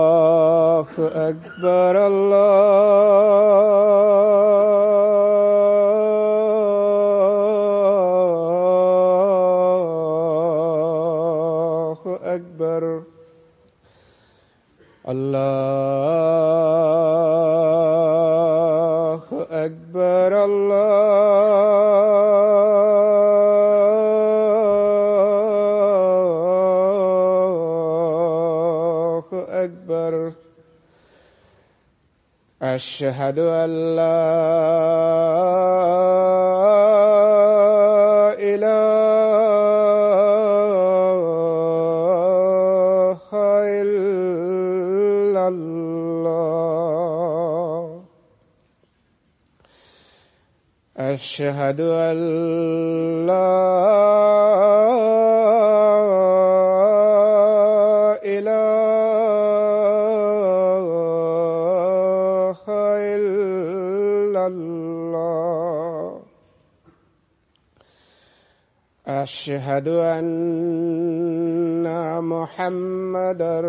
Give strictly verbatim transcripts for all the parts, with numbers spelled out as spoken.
الله أكبر الله أكبر الله أكبر الله أكبر أشهد أن لا إله إلا الله أشهد أن لا إله إلا الله أشهد أن محمدا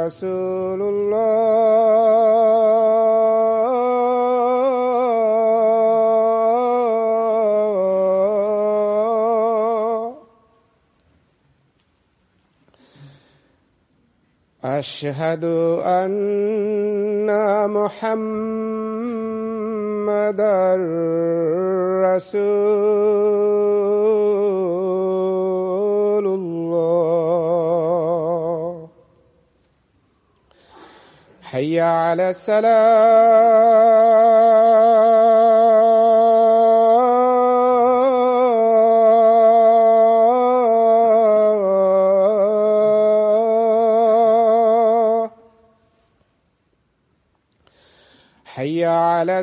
رسول الله أشهد أن محمدا رسول الله حي على السلام حي على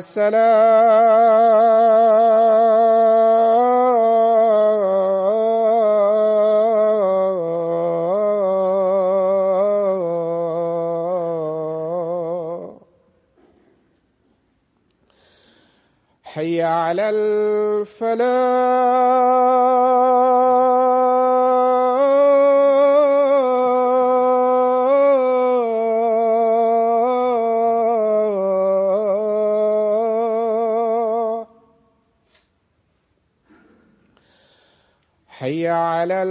السلام حي على الفلاح حي على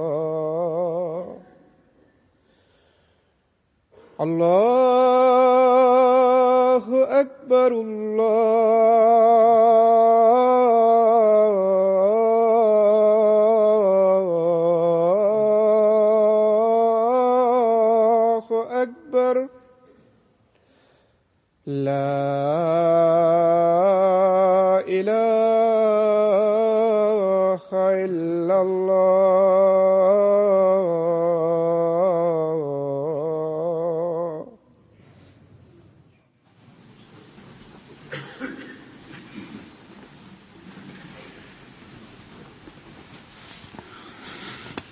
الفلاح الله أكبر الله أكبر لا إله إلا الله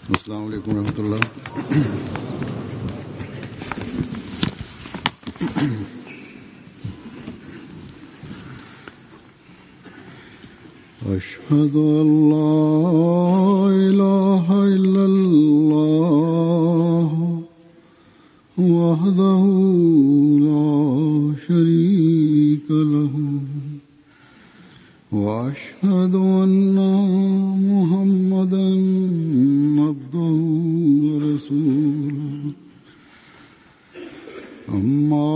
السلام علیکم ورحمۃ اللہ۔ أشهد أن لا إله إلا الله وحده لا شريك له وأشهد أن محمدا عبده ورسوله أما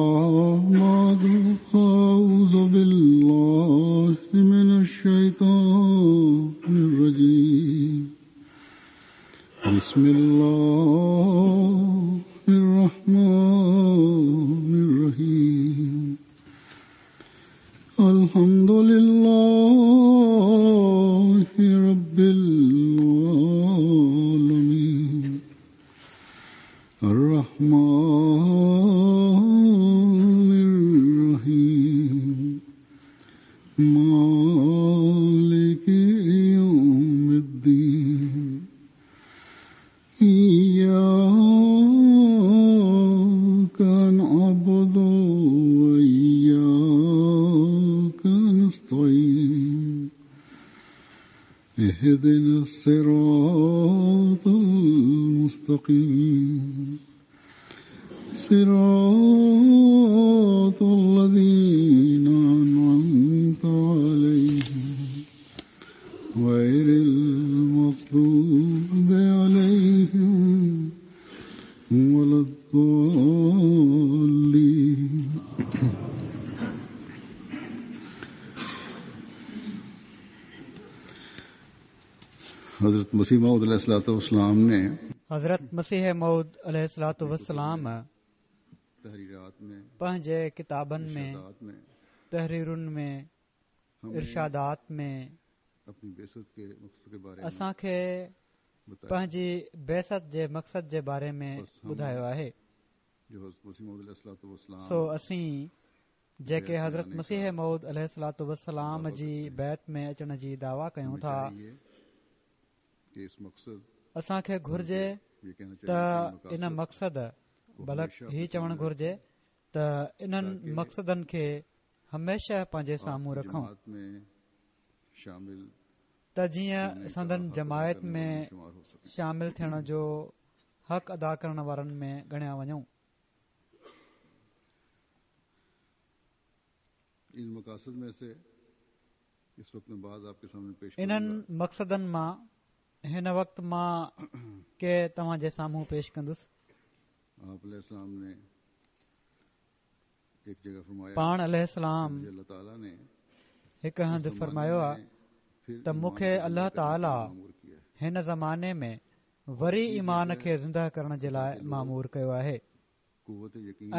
بعد فأعوذ بالله من الشيطان الرجيم بسم الله الرحمن الرحيم الحمد لله رب العالمين الرحمن الرحيم مالك يوم الدين إياك اهدنا الصراط المستقيم صراط الذين أنعمت عليهم غير المغضوب عليهم ولا الضالين. حضرت مسیح موعود علیہ الصلوۃ والسلام نے حضرت مسیح موعود علیہ الصلوۃ والسلام تحریرات میں پنهنجي ڪتابن ۾ تحريرن ۾ ارشادات ۾ اپني بعثت کے مقصد کے بارے اسان کي پنهنجي بعثت جي مقصد جي باري ۾ ٻڌايو آهي. جو حضرت مسيح موعود علیہ الصلوۃ والسلام سو اسين جيڪي حضرت مسيح موعود عليه الصلوۃ والسلام جي بيعت ۾ اچڻ جي دعويٰ ڪيون ٿا، اسان کي گهرجي ته ان مقصد بلڪ هي چوڻ گهرجي ته انهن مقصدن کي هميشه پنهنجي سامهون رکون ته جيئن سندن جماعت ۾ شامل ٿيڻ جو حق ادا ڪرڻ وارن ۾ ڳڻيا وڃون. انهن مقصدن مان هن وقت مان ڪي توهان جي سامهون پيش ڪندس. پاڻ عليه السلام هڪ هنڌ فرمايو آهي ته مون کي الله تعاليٰ هن زماني ۾ وري ايمان کي زنده ڪرڻ جي لاءِ مامور ڪيو آهي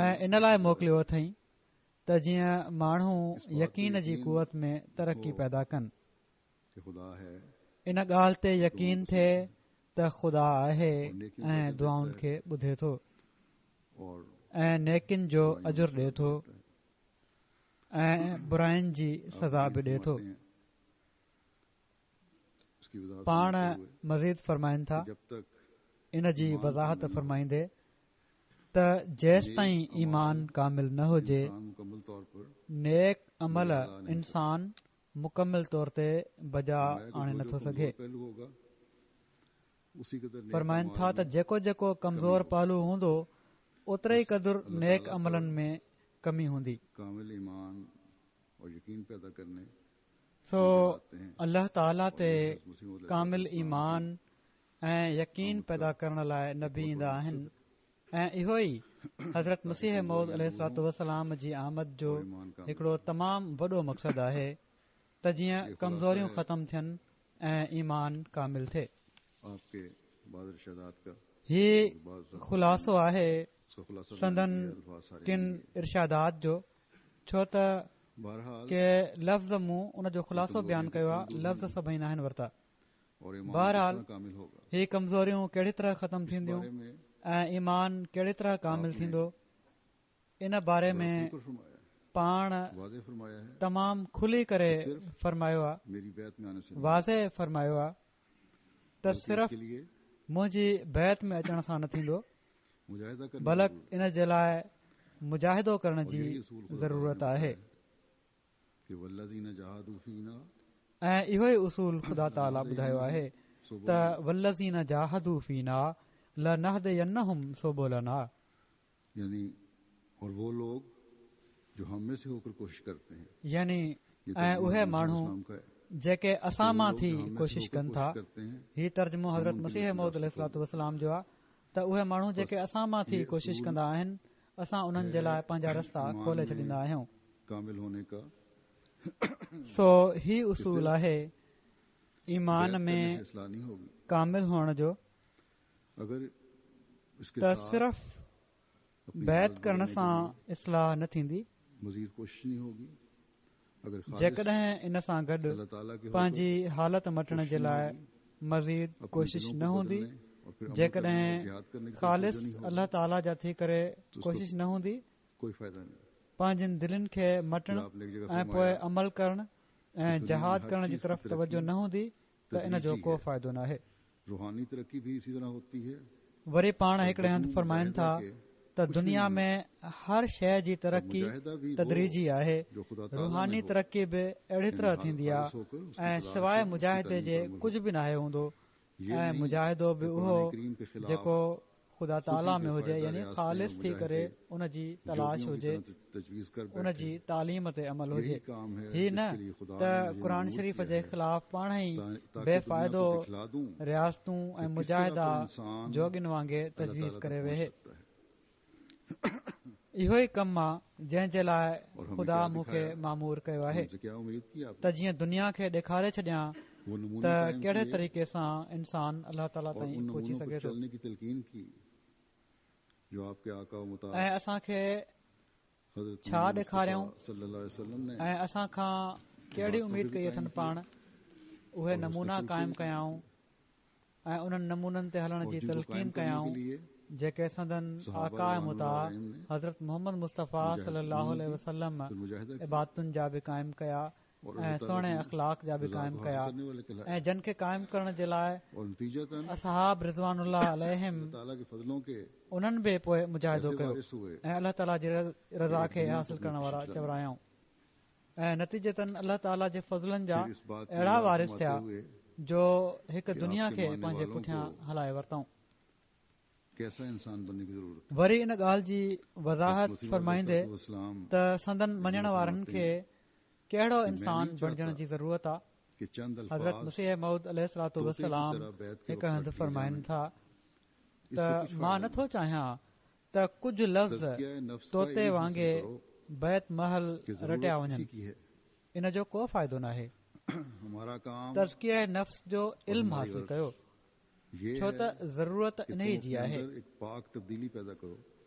۽ ان لاءِ موڪليو اٿئي ته جيئن ماڻهو يقين جي قوت ۾ ترقي پيدا ڪن. ان ڳالهه تي يقين ٿئي ته خدا آهي ۽ دعائن کي ٻڌي ٿو ۽ نيڪين جو اجر ڏئي ٿو ۽ براين جي سزا به ڏئي ٿو. پاڻ مزيد فرمائن ٿا، ان جي وضاحت فرمائيندي ته جيستائين ايمان ڪامل نه هجي، نيڪ عمل انسان مڪمل طور تي بجا آڻي نٿو سگهي. فرمائن ٿا ته جيڪو جيڪو ڪمزور پهلو هوندو اوتري ئي قدر نيڪ عملن ۾ ڪمي هوندي. سو الله تعاليٰ تي ڪامل ايمان ۽ يقين پيدا ڪرڻ لاءِ نبي ايندا آهن ۽ اهو ئي حضرت مسيح موعود عليه الصلوۃ والسلام جي آمد جو هڪڙو تمام وڏو مقصد آهي ته جيئن ڪمزوريون ختم ٿين ۽ ايمان ڪامل ٿئي. هي خلاصو آهي سندن ڪن ارشادات جو، ڇو ته ڪي لفظ مون ان جو خلاصو بيان ڪيو آهي، لفظ سڀئي ناهن ورتا. بهرحال هي ڪمزوريون ڪهڙي طرح ختم ٿينديون ۽ ايمان ڪهڙي طرح ڪامل ٿيندو، ان باري ۾ پاڻ تمام کلي ڪري فرمايو آهي، واضح فرمايو آهي ته صرف منهنجي بيعت ۾ اچڻ سان نه ٿيندو، بلڪ ان جي لاءِ مجاهدو ڪرڻ جي ضرورت آهي. ۽ اهو ئي اصول خدا تعاليٰ ٻڌايو آهي ته والذين جاهدوا فينا لنهدينهم سبلنا، يعني اور وہ لوگ جو ہم میں سے ہو کر کوشش کرتے ہیں، يعني ۽ اهي ماڻهو جيڪي اسان مان ٿي ڪوشش ڪن ٿا. هي ترجمو حضرت مسيح موعود عليه الصلوۃ والسلام جو آهي ته اهي ماڻهو جيڪي اسان مان ٿي ڪوشش ڪندا آهن، اسان انهن جي لاءِ پنهنجا رستا کولي ڇڏيندا آهيون. سو هي اصول آهي ايمان ۾ ڪامل هئڻ جو ته صرف بيعت ڪرڻ سان اصلاح نه ٿيندي، جيڪڏهن ان سان گڏ پنهنجي حالت مٽڻ جي لاءِ مزيد ڪوشش نه هوندي، جيڪڏهن خالص الله تعاليٰ جا ٿي ڪري ڪوشش نه هوندي، پنهنجن دلين کي مٽڻ ۽ پوءِ عمل ڪرڻ ۽ جهاد ڪرڻ جي طرف توجه نه هوندي ته ان جو ڪو فائدو ناهي. وري پاڻ هڪڙي هنڌ فرمائن ٿا ته دنيا ۾ هر شيءِ جي ترقي تدريجي آهي. روحاني ترقي به اهڙي طرح ٿيندي آهي ۽ سواءِ مجاهدي جي ڪجهه به ناهي هوندو ۽ مجاهدو به اهو جيڪو خدا تعاليٰ ۾ هجي، يعني خالص ٿي ڪري ان جي تلاش هجي، ان جي تعليم تي عمل هجي. هي نه ته قرآن شريف جي خلاف پاڻ ئي بي فائدو رياستون ۽ مجاهدا جوڳين وانگي تجويز ڪري ويهي. اهو ئي ڪم آهي جنهن جي لاءِ خدا مون کي مامور ڪيو آهي ته جيئن دنيا کي ڏيکاري ڇڏيان ته ڪهڙي طريقي سان انسان الله تعاليٰ تائين پهچي سگهي ٿو. ۽ اسان کي ڇا ڏيکاريائون ۽ اسان کان ڪهڙي اميد ڪئي اٿن پاڻ، اهي نمونا قائم ڪيائون ۽ انهن نمونن تي هلڻ جي تلقين ڪيائون جيڪي سندن آقا مطاع حضرت محمد مصطفيٰ صلي الله عليه وسلم عبادتن جا به قائم ڪيا ۽ سهڻي اخلاق جا به قائم ڪيا ۽ جن کي قائم ڪرڻ جي لاءِ اصحاب رضوان الله عليهم انهن به پوءِ مجاهدو ڪيو ۽ الله تعاليٰ جي رضا کي حاصل ڪرڻ وارا چورايائون ۽ نتيجتن الله تعاليٰ جي فضلن جا اهڙا وارث ٿيا جو هڪ دنيا کي پنهنجي پٺيان هلائي ورتائون. وري ان ڳالهه جي وضاحت فرمائيندي ته سندن مڃڻ وارن کي ڪهڙو انسان بڻجڻ جي ضرورت آهي، حضرت مسيح موعود عليه الصلوة والسلام هڪ هنڌ فرمائن ٿا ته مان نٿو چاهيان ته ڪجهه لفظ طوطي وانگي بيعت مهل رٽيا وڃن، ان جو ڪو فائدو ناهي. تزڪيه نفس جو علم حاصل ڪيو، ڇو ته ضرورت انهي جي آهي.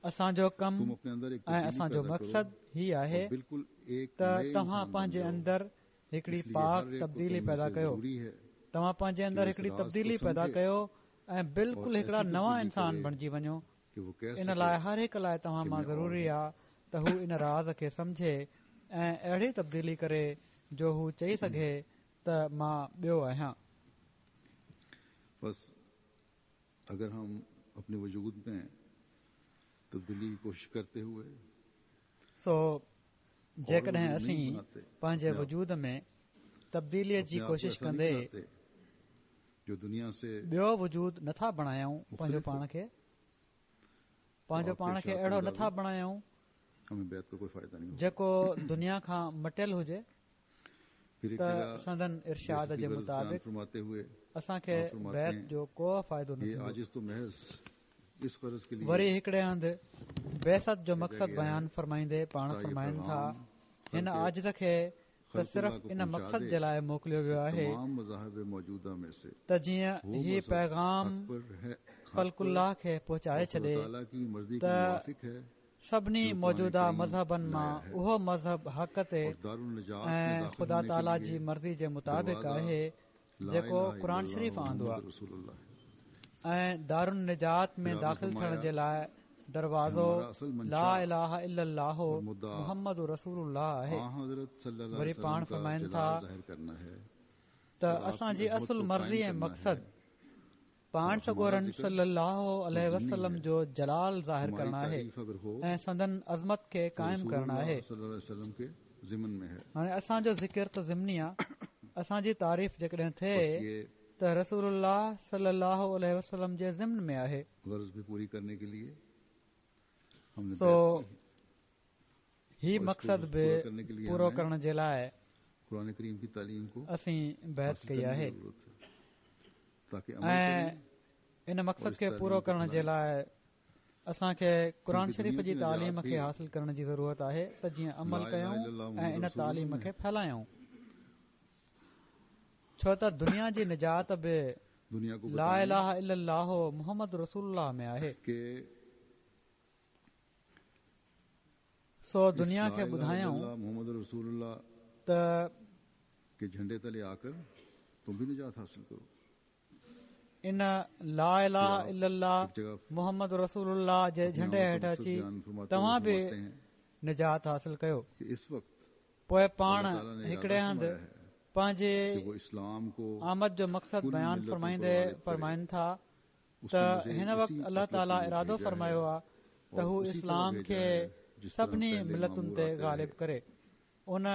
اسان جو ڪم ۽ اسان جو مقصد هي آهي ته توهان پنهنجي اندر هڪڙي پاڪ تبديلي پيدا ڪيو، توهان پنهنجي اندر هڪڙي تبديلي پيدا ڪيو ۽ بلڪل هڪڙا نوان انسان بڻجي وڃو. ان لاءِ هر هڪ لاءِ توهان مان ضروري آهي ته هو ان راز کي سمجهي ۽ اهڙي تبديلي ڪري جو هو چئي سگهي ته مان ٻيو آهيان. بس اگر هم اپني وجود ۾ تبديلي جي ڪوشش ڪرتي هوئي سو جيڪڏهن اسين پنهنجي وجود ۾ تبديليءَ جي ڪوشش ڪندي ٻيو وجود نٿا بڻايون، پنهنجو پاڻ کي پنهنجو پاڻ کي اهڙو نٿا بڻايون جيڪو دنيا کان مٽيل هجي، ته سندن ارشاد جي مطابق اسان کي بيعت جو ڪو فائدو نه ٿيندو. وري هڪڙي هنڌ بعثت جو مقصد بيان فرمائيندي پاڻ فرمائن ٿا، هن عاجز کي ته صرف ان مقصد جي لاءِ موڪليو ويو آهي ته جيئن هي پيغام خلق الله کي پهچائي ڇڏي ته سڀني موجوده مذهبن مان اهو مذهب حق تي ۽ خدا تعاليٰ جي مرضي جي مطابق آهي جيڪو قرآن شريف آندو آهي ۽ دارالنجات ۾ داخل ٿيڻ جي لاءِ دروازو لا اله الا الله محمد رسول الله آهي. وري پاڻ فرمائن ٿا ته اسان جي اصل مرضي ۽ مقصد پاڻ سڳورن صلي الله عليه وسلم جو جلال ظاهر ڪرڻ آهي ۽ سندن عظمت کي قائم ڪرڻ آهي. هاڻي اسان جو ذڪر ته ضمني آهي، اسان جي تعريف جيڪڏهن ٿئي ته رسول الله صلي الله عليه وسلم جي ضمن ۾ آهي. سو هي مقصد به پورو ڪرڻ جي لاءِ اسين بيعت ڪئي آهي ۽ ان مقصد کي پورو ڪرڻ جي لاءِ اسان کي قرآن شريف جي تعليم کي حاصل ڪرڻ جي ضرورت آهي ته جيئن عمل ڪيون ۽ ان تعليم کي ڦهلايون، ڇو ته دنيا جي نجات به لا اله الا الله محمد رسول الله ۾ آهي. سو دنيا کي ٻڌايون ته ان لا اله الا الله محمد رسول الله جي جهنڊي هيٺ اچي توهان به نجات حاصل ڪيو. پوءِ پاڻ هڪڙي هنڌ پنهنجي آمد جو مقصد بيان فرمائيندي فرمائن ٿا ته هن وقت الله تعاليٰ ارادو فرمايو آهي ته هو اسلام کي سڀني ملتن تي غالب ڪري. ان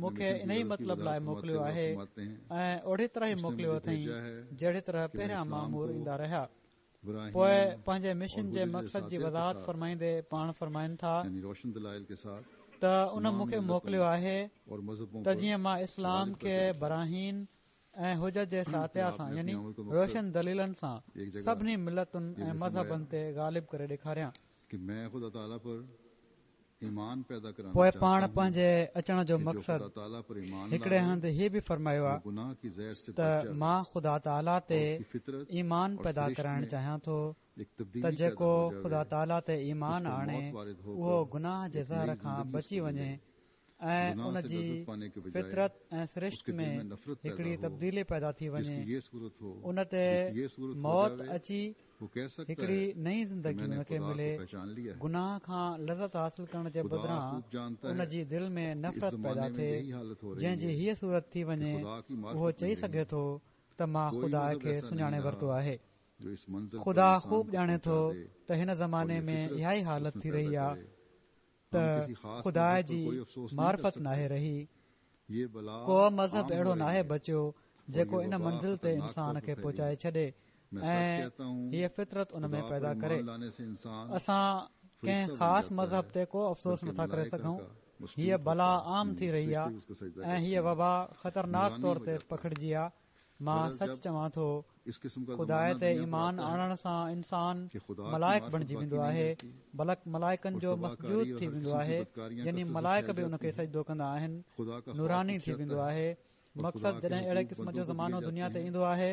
مون کي انهي مطلب لاءِ موڪليو آهي ۽ اهڙي طرح ئي موڪليو اٿئي جهڙي طرح پهريان مامور ايندا رهيا. پوءِ پنهنجي مشن جي مقصد جي وضاحت فرمائيندي پاڻ فرمائن ٿا ته ان مون کي موڪليو آهي ته جيئن مان اسلام کي براهين ۽ حجت جي ساطعه سان يعني روشن دليلن سان سڀني ملتن ۽ مذهبن تي غالب ڪري ڏيکاريان. پوءِ پاڻ پنهنجي اچڻ جو مقصد هڪڙي هنڌ هي به فرمايو آهي ته مان خدا تعاليٰ تي ايمان پيدا ڪرائڻ چاهيان ٿو ته جيڪو خدا تعاليٰ تي ايمان آڻي اهو گناهه جي زهر کان بچي وڃي ۽ ان جي فطرت ۽ سرشت ۾ هڪڙي تبديلي پيدا ٿي وڃي، ان تي موت اچي هڪڙي نئين زندگي ان کي ملي. گناهه کان لذت حاصل ڪرڻ جي بدران ان جي دل ۾ نفرت پيدا ٿئي، جنهن جي هيءَ صورت ٿي وڃي اهو چئي سگهي ٿو ته مان خدا کي سڃاڻي ورتو آهي. خدا خوب ڄاڻي ٿو ته هن زماني ۾ اها ئي حالت ٿي رهي آهي ته خدا جي معرفت ناهي رهي. ڪو مذهب اهڙو ناهي بچيو جيڪو ان منزل تي انسان کي پهچائي ڇڏي ۽ هيءَ فطرت ان ۾ پيدا ڪري. اسان ڪنهن خاص مذهب تي ڪو افسوس نٿا ڪري سگهون. هيءَ بلا عام ٿي رهي آهي ۽ هيءَ وبا خطرناڪ طور تي پکڙجي آهي. مان سچ چوان ٿو، خدا تي ايمان آڻڻ سان انسان ملائڪ بڻجي ويندو آهي، بلڪ ملائڪن جو مسجود ٿي ويندو آهي، يعني ملائڪ به ان کي سجدو ڪندا آهن، نوراني ٿي ويندو آهي. مقصد جڏهن اهڙي قسم جو زمانو دنيا تي ايندو آهي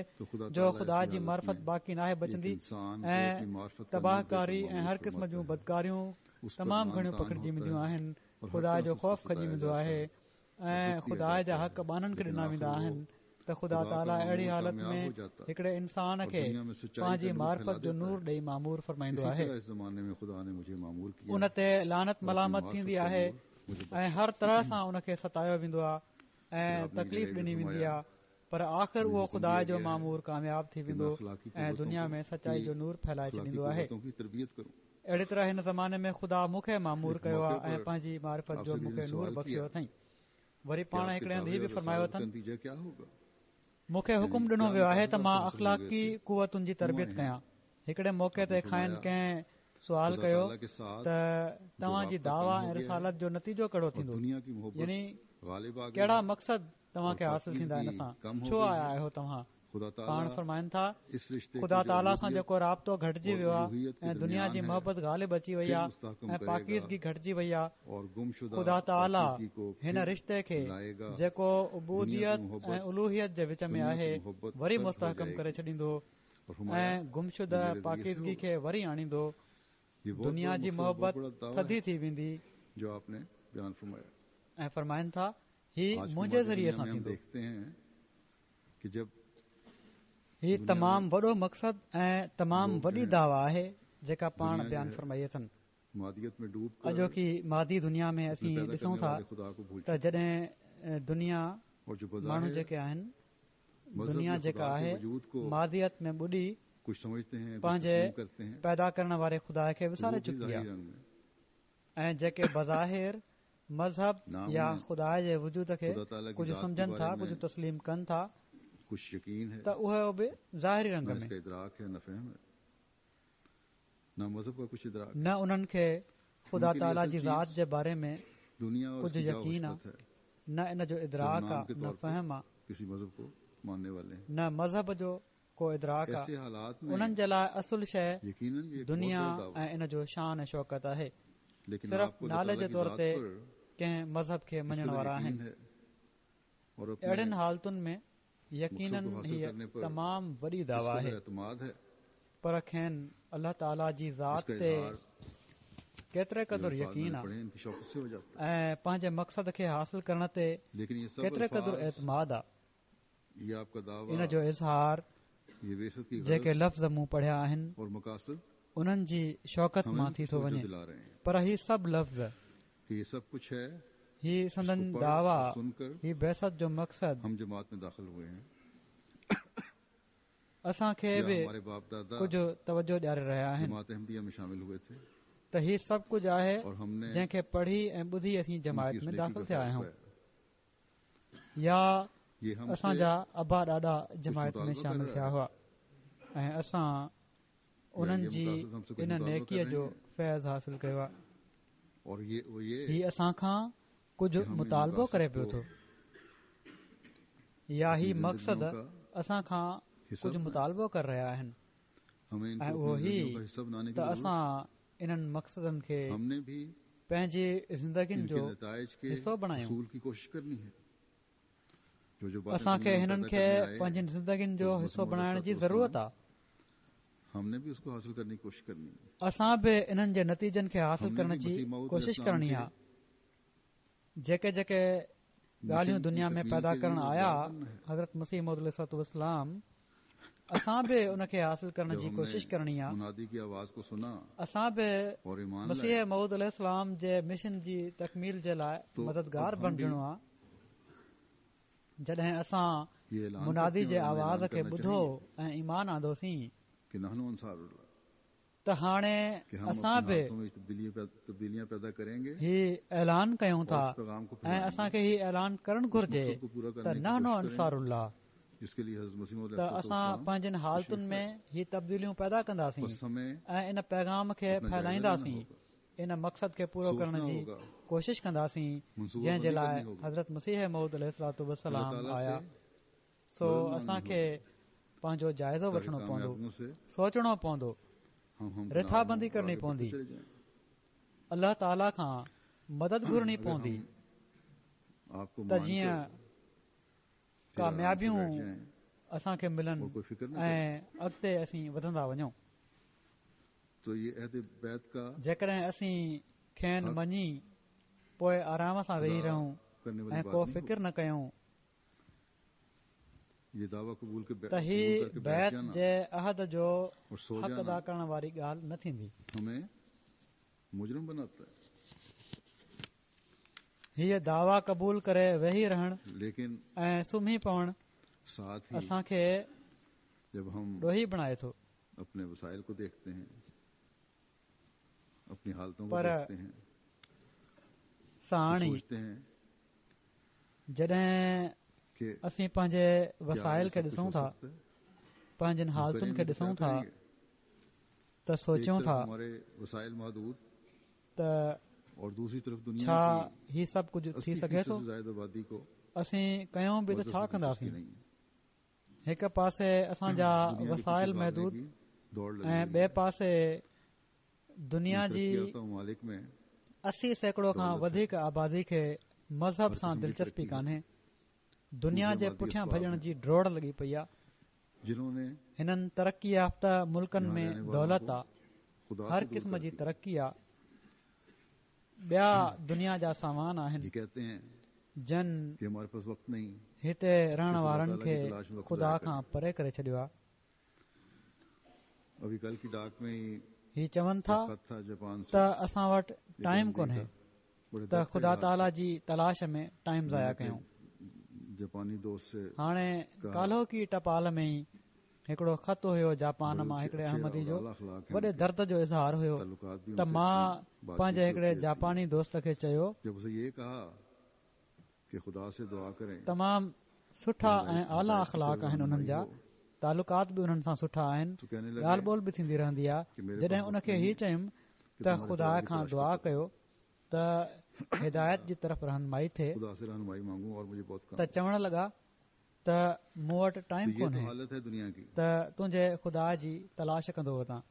جو خدا جي معرفت باقي ناهي بچندي ۽ تباهڪاري ۽ هر قسم جون بدڪاريون تمام گهڻيون پکڙجي وينديون آهن، خدا جو خوف کڄي ويندو آهي ۽ خدا جا حق ٻانهن کي ڏنا ويندا آهن ته خدا تعاليٰ اهڙي حالت ۾ هڪڙي انسان کي پنهنجي معرفت جو نور ڏيئي مامور فرمائيندو آهي. ان تي لعنت ملامت ٿيندي آهي ۽ هر طرح سان ان کي ستايو ويندو آهي ۽ تڪليف ڏني ويندي آهي، پر آخر اهو خدا جو مامور ڪامياب ٿي ويندو ۽ دنيا ۾ سچائي جو نور ڦهلائي ڇڏيندو آهي. اهڙي طرح هن زماني ۾ خدا مون کي مامور ڪيو آهي ۽ پنهنجي معرفت جو مون کي نور بخشيو اٿئي. وري پاڻ هڪڙي هنڌ هي به فرمايو اٿن، مون کي حڪم ڏنو ويو آهي ته مان اخلاقي قوتن جي تربيت ڪيان. هڪڙي موقعي تي کانئن ڪنهن سوال ڪيو ته توهان جي دعويٰ ۽ رسالت جو نتيجو ڪهڙو ٿيندو، يعني ڪهڙا مقصد توهان کي حاصل ٿيندا ان سان، ڇو آيا آهيو توهان؟ پاڻ فرمائن ٿا، خدا تعاليٰ سان جيڪو رابطو گهٽجي ويو آهي ۽ دنيا جي محبت غالب اچي وئي آهي ۽ پاڪيزگي گهٽجي وئي آهي، خدا تعاليٰ هن رشتي کي جيڪو عبوديت ۽ الوهيت جي وچ ۾ آهي وري مستحڪم ڪري ڇڏيندو ۽ گمشده پاڪيزگي کي وري آڻيندو. دنيا جي محبت ٿڌي ٿي ويندي. ۽ فرمائن ٿا، هي منهنجي ذريعي سان ٿيندو. هي تمام وڏو مقصد ۽ تمام وڏي دعويٰ آهي جيڪا پاڻ بيان فرمائي اٿن. اڄوڪي مادي دنيا ۾ اسين ڏسون ٿا ته جڏهن دنيا ماڻهو جيڪي آهن، دنيا جيڪا آهي ماديت ۾ ٻڏي پنهنجي پيدا ڪرڻ واري خدا کي وساري چڪي آهي ۽ جيڪي بظاهر مذهب يا خدا جي وجود کي ڪجهه سمجهن ٿا، ڪجهه تسليم ڪن ٿا ته اهو به ظاهري رنگ ۾ نه انهن کي خدا تعاليٰ جي ذات جي باري ۾ ڪجهه يقين آهي، نه ان جو ادراڪ آهي، نه فهم آهي، نه مذهب جو ڪو ادراڪ آهي. انهن جي لاءِ اصل شيءِ دنيا ۽ ان جو شان ۽ شوڪت آهي. صرف نالي جي طور تي ڪنهن مذهب کي مڃڻ وارا آهن. اهڙين حالتن ۾ يقينن هيءَ تمام وڏي دعويٰ آهي، پر کين الله تعاليٰ جي ذات تي ڪيتري قدر يقين آهي ۽ پنهنجي مقصد کي حاصل ڪرڻ تي ڪيتري قدر اعتماد آهي، ان جو اظهار جيڪي لفظ مون پڙهيا آهن انهن جي شوڪت مان ٿي ٿو وڃي. پر هي سڀ لفظ، هي سندن دعويٰ، هي بعثت جو مقصد اسان کي به ڪجهه توجه ڏياري رهيا آهن. ته هي سڀ ڪجهه آهي جنهن کي پڙهي ۽ ٻڌي اسين جماعت ۾ داخل ٿيا آهيون يا اسان جا ابا ڏاڏا جماعت ۾ شامل ٿيا هئا ۽ اسان انهن جي ان نيڪيءَ جو فيض حاصل ڪيو آهي. هي اسان کان ڪجهه مطالبو ڪري پيو ٿو يا هي مقصد اسان کان ڪجهه مطالبو ڪري رهيا آهن ۽ اهو هي ته اسان انهن مقصدن کي پنهنجي زندگين جو حصو بڻايون. اسان کي هنن کي پنهنجين زندگين جو حصو بڻائڻ جي ضرورت آهي. اسان به انهن جي نتيجن کي حاصل ڪرڻ جي ڪوشش ڪرڻي آهي. جيڪي جيڪي ڳالهيون دنيا ۾ پيدا ڪرڻ آيا حضرت مسيح موعود عليه الصلوة والسلام، اسان به ان کي حاصل ڪرڻ جي ڪوشش ڪرڻي آهي. اسان به مسيح موعود عليه السلام جي مشن جي تڪميل جي لاءِ مددگار بڻجڻو آهي. جڏهن اسان منادي جي آواز کي ٻڌو ۽ ايمان آندوسين ته هاڻي اسان به هي اعلان ڪيون ٿا ۽ اسان کي هي اعلان ڪرڻ گهرجي ته نحن انصار الله، ته اسان پنهنجن حالتن ۾ هي تبديليون پيدا ڪنداسين ۽ ان پيغام کي ڦهلائينداسين، ان مقصد کي پورو ڪرڻ جي ڪوشش ڪنداسين جنهن جي لاءِ حضرت مسيح موعود عليه الصلوة والسلام آيا. سو اسان کي پنهنجو جائزو وٺڻو پوندو، سوچڻو پوندو، رٿابندي ڪرڻي پوندي، الله تعاليٰ کان مدد گهرڻي پوندي ته جيئن ڪاميابيون اسان کي ملن ۽ اڳتي اسين وڌندا وڃون. جيڪڏهن اسين کين مڃي پوءِ آرام سان ويهي رهون ۽ ڪو فڪر نه ڪيون ته هي بيعت جي عهد جو حق ادا ڪرڻ واري ڳالهه نه ٿيندي. هيءَ دعويٰ قبول ڪري ويهي رهڻ ۽ سمهي پوڻ اسان کي ڏوهي بڻائي ٿو. پر ساڻ ئي جڏهن اسين پنهنجي وسائل کي ڏسون ٿا، پنهنجن حالتن کي ڏسون ٿا ته سوچيون ٿا ته ڇا هي سڀ ڪجهه ٿي سگهي ٿو؟ اسين ڪيون به ته ڇا ڪنداسين؟ هڪ پاسي اسان جا وسائل محدود ۽ ٻئي پاسي دنيا جي اسي سيڪڙو کان وڌيڪ آبادي کي مذهب سان دلچسپي ڪانهي. دنيا جي پٺيان ڀڄڻ جي ڊوڙ لڳي پئي آهي. هنن ترقي يافته ملڪن ۾ دولت آهي، هر قسم جي ترقي آهي، ٻيا دنيا جا سامان آهن جن هتي رهڻ وارن کي خدا کان پري ڪري ڇڏيو آهي. هي چون ٿا ته اسان وٽ ٽائيم ڪونهي ته خدا تعاليٰ جي تلاش ۾ ٽائيم ضايع ڪيون. هاڻي ڪالهوڪي ٽپال ۾ ئي هڪڙو خط هيو جاپان مان هڪڙي احمدي جو، وڏي درد جو اظهار هيو ته مان پنهنجي هڪڙي جاپاني دوست کي چيو، تمام سٺا ۽ اعليٰ اخلاق آهن انهن جا، تعلقات به انهن سان سٺا آهن، ڳالهه ٻولهه به ٿيندي رهندي آهي. جڏهن ان کي هي چيم ته خدا کان دعا ڪيو ته هدايت جي طرف رهنمائي ٿئي، ته چوڻ لڳا ته مون وٽ ٽائيم ڪونهي ته تنهنجي خدا جي تلاش ڪندو وتان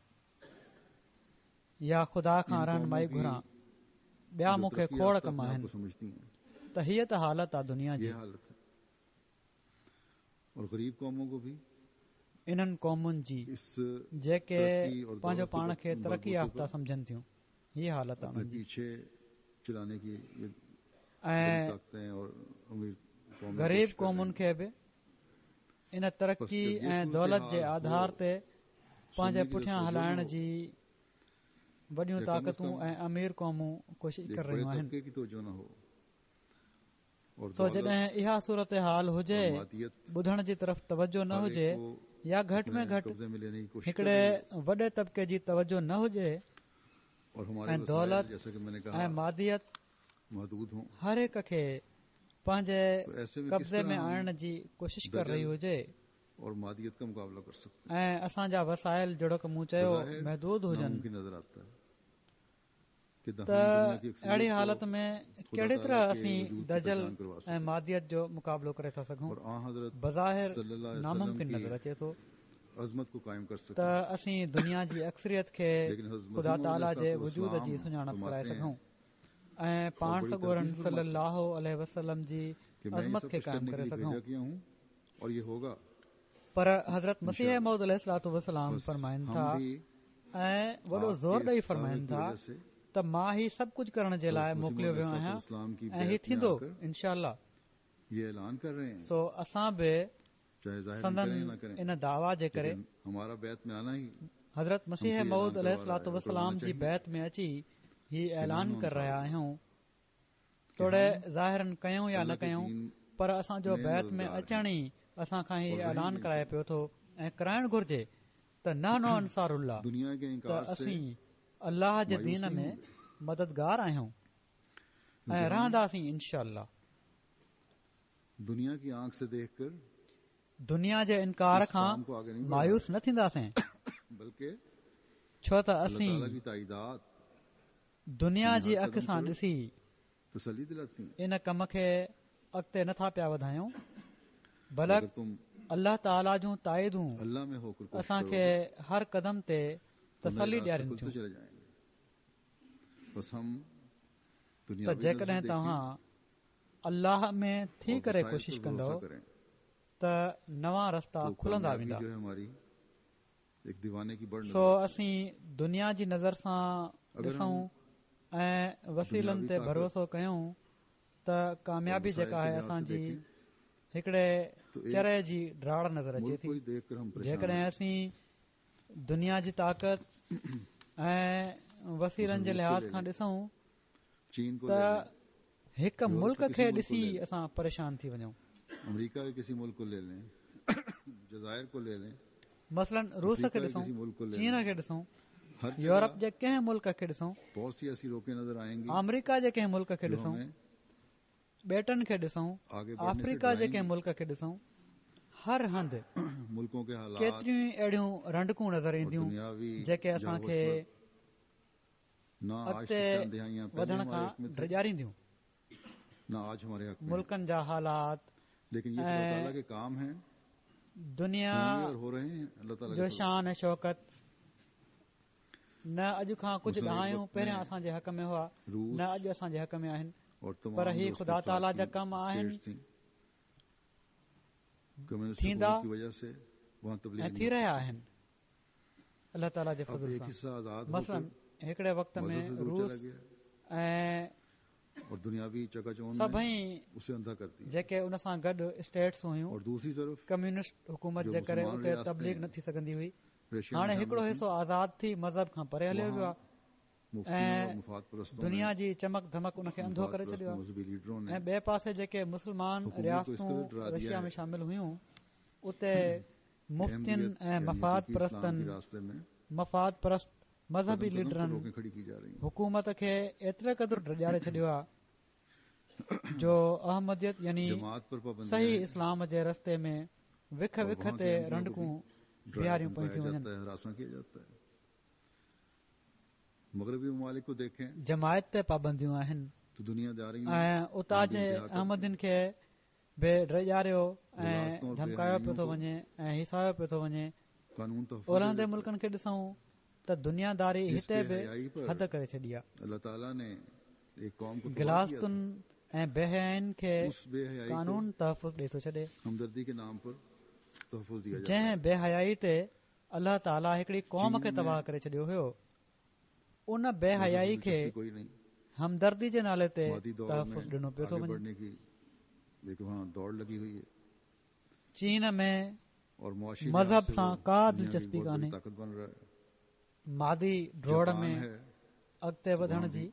يا خدا کان رهنمائي گهران، ٻيا مون کي کوڙ ڪم آهن. ته هيءَ ته حالت آهي دنيا جي. انهن قومن جي جيڪي پنهنجو پاڻ کي ترقي يافته سمجهن ٿيون، هيءَ حالت آهي انهن جي. ۽ غريب قومن کي به ان ترقي ۽ دولت جي آڌار تي پنهنجي پٺيان هلائڻ جي وڏيون طاقتون ۽ امير قومون ڪوشش ڪري رهيون آهن. سو جڏهن اها صورت حال هجي، ٻڌڻ جي طرف توجه نه هجي يا گهٽ ۾ گهٽ هڪڙي وڏي طبقي جي توجه نه هجي ۽ دولت ۽ ماديت هر هڪ کي پنهنجي قبضي ۾ آڻڻ جي ڪوشش ڪري رهي هجي ۽ اسان جا وسائل جهڙوڪ مون چيو محدود هجن ته اهڙي حالت ۾ ڪهڙي طرح اسين دجل ۽ ماديت جو مقابلو ڪري ٿا سگهون؟ بظاهر ناممڪن نظر اچي ٿو ته اسين دنيا جي اڪثريت کي خدا تعاليٰ جي وجود جي سڃاڻپ ڪرائي سگهون ۽ پاڻ سڳورن صلي الله عليه وسلم جي عظمت کي قائم ڪري سگهون. پر حضرت مسيح موعود عليه الصلوة والسلام فرمائن ٿا ۽ وڏو زور ڏئي فرمائن ٿا ته مان هي سڀ ڪجهه ڪرڻ جي لاءِ موڪليو ويو آهيان ۽ هي ٿيندو انشاء الله. سو اسان به سندن ان دعويٰ جي ڪري حضرت مسيح موعود عليه الصلوة والسلام جي بيعت ۾ اچي هي اعلان ڪري رهيا آهيون، توڙي ظاهراً ڪيون يا نه ڪيون، پر اسان جو بيعت ۾ اچڻ ئي اسان کان هي اعلان ڪرائي پيو ٿو ۽ ڪرائڻ گهرجي ته نحن انصار الله، ته اسين الله جي دين ۾ مددگار آهيون ۽ رهنداسين انشاء الله. دنيا جي انڪار کان مايوس نه ٿينداسين، ڇو ته اسين دنيا جي اک سان ڏسي ان ڪم کي اڳتي نٿا پيا وڌايون، بلڪ الله تعاليٰ جون تائيدون اسان کي هر قدم تي تسلي ڏيارين ٿيون ته جيڪڏهن توهان الله ۾ ٿي ڪري ڪوشش ڪندؤ ته نوان رستا کلندا ويندا. سو اسين دنيا جي نظر سان ڏسون ۽ وسيلن تي ڀروسو ڪيون ته ڪاميابي جيڪا آهي اسان جي هڪڙي چري جي ڊاڙ نظر اچي ٿي. جيڪڏهن اسين دنيا جي طاقت ۽ وسيلن جي لحاظ کان ڏسون ته هڪ ملڪ کي ڏسي اسان پريشان ٿي وڃون. مثلاً روس کي ڏسون، چين کي ڏسون، يورپ جي ڪنهن ملڪ کي ڏسون، آمريڪا جي ڪنهن ملڪ کي ڏسون، ٻيٽن کي ڏسون، آفريڪا جي ڪنهن ملڪ کي ڏسون، هر هنڌ ڪيتريون اهڙيون رنڊڪون نظر اينديون جيڪي اسان کي اڳتي وڌڻ کان ڊيڄارينديون. ملڪن جا حالات ۽ دنيا جو شان ۽ شوڪت نه اڄ کان ڪجهه ڏهايون پهريان اسان جي حق ۾ هئا، نه اڄ اسان جي حق ۾ آهن، پر هي خدا تعاليٰ جا ڪم آهن، ٿيندا ۽ ٿي رهيا آهن الله تعاليٰ جي فضل سان. مثلاً هڪڙي وقت ۾ روس ۽ سڀئي جيڪي ان سان گڏ اسٽيٽس هيون، ڪميونسٽ حڪومت جي ڪري اتي تبليغ نه ٿي سگهندي هئي. هاڻي هڪڙو حصو آزاد ٿي مذهب کان پري هليو ويو آهي ۽ دنيا جي چمڪ ڌمڪ ان کي انڌو ڪري ڇڏيو آهي، ۽ ٻئي پاسي جيڪي مسلمان رياستون رشيا ۾ شامل هيون اتي مفتين ۽ مفاد پرستن مفاد پرست مذهبي ليڊرن حڪومت کي ايتري قدر ڊيڄاري ڇڏيو آهي جو احمديت يعني صحيح اسلام جي رستي ۾ وک وک تي رنڊڪون بيهاريون پيون ٿيون وڃن. جماعت تي پابنديون آهن ۽ اتان جي احمدين کي به ڊيڄاريو ۽ ڌمڪايو پيو ٿو وڃي ۽ هيسايو پيو ٿو وڃي. اولهندي ملڪن کي ڏسون ته دنيا داري هتي به حد ڪري ڇڏي آهي. غلاظتن ۽ بي حيائين کي قانون تحفظ ڏئي ٿو ڇڏي. جنهن بي حيائي تي الله تعاليٰ هڪڙي قوم کي تباهه ڪري ڇڏيو هيو، ان بي حيائي کي همدردي جي نالي تي تحفظ ڏنو پيو ٿو وڃي. چين ۾ مذهب سان ڪا دلچسپي ڪانهي. مادي ڊوڙ ۾ اڳتي وڌڻ جي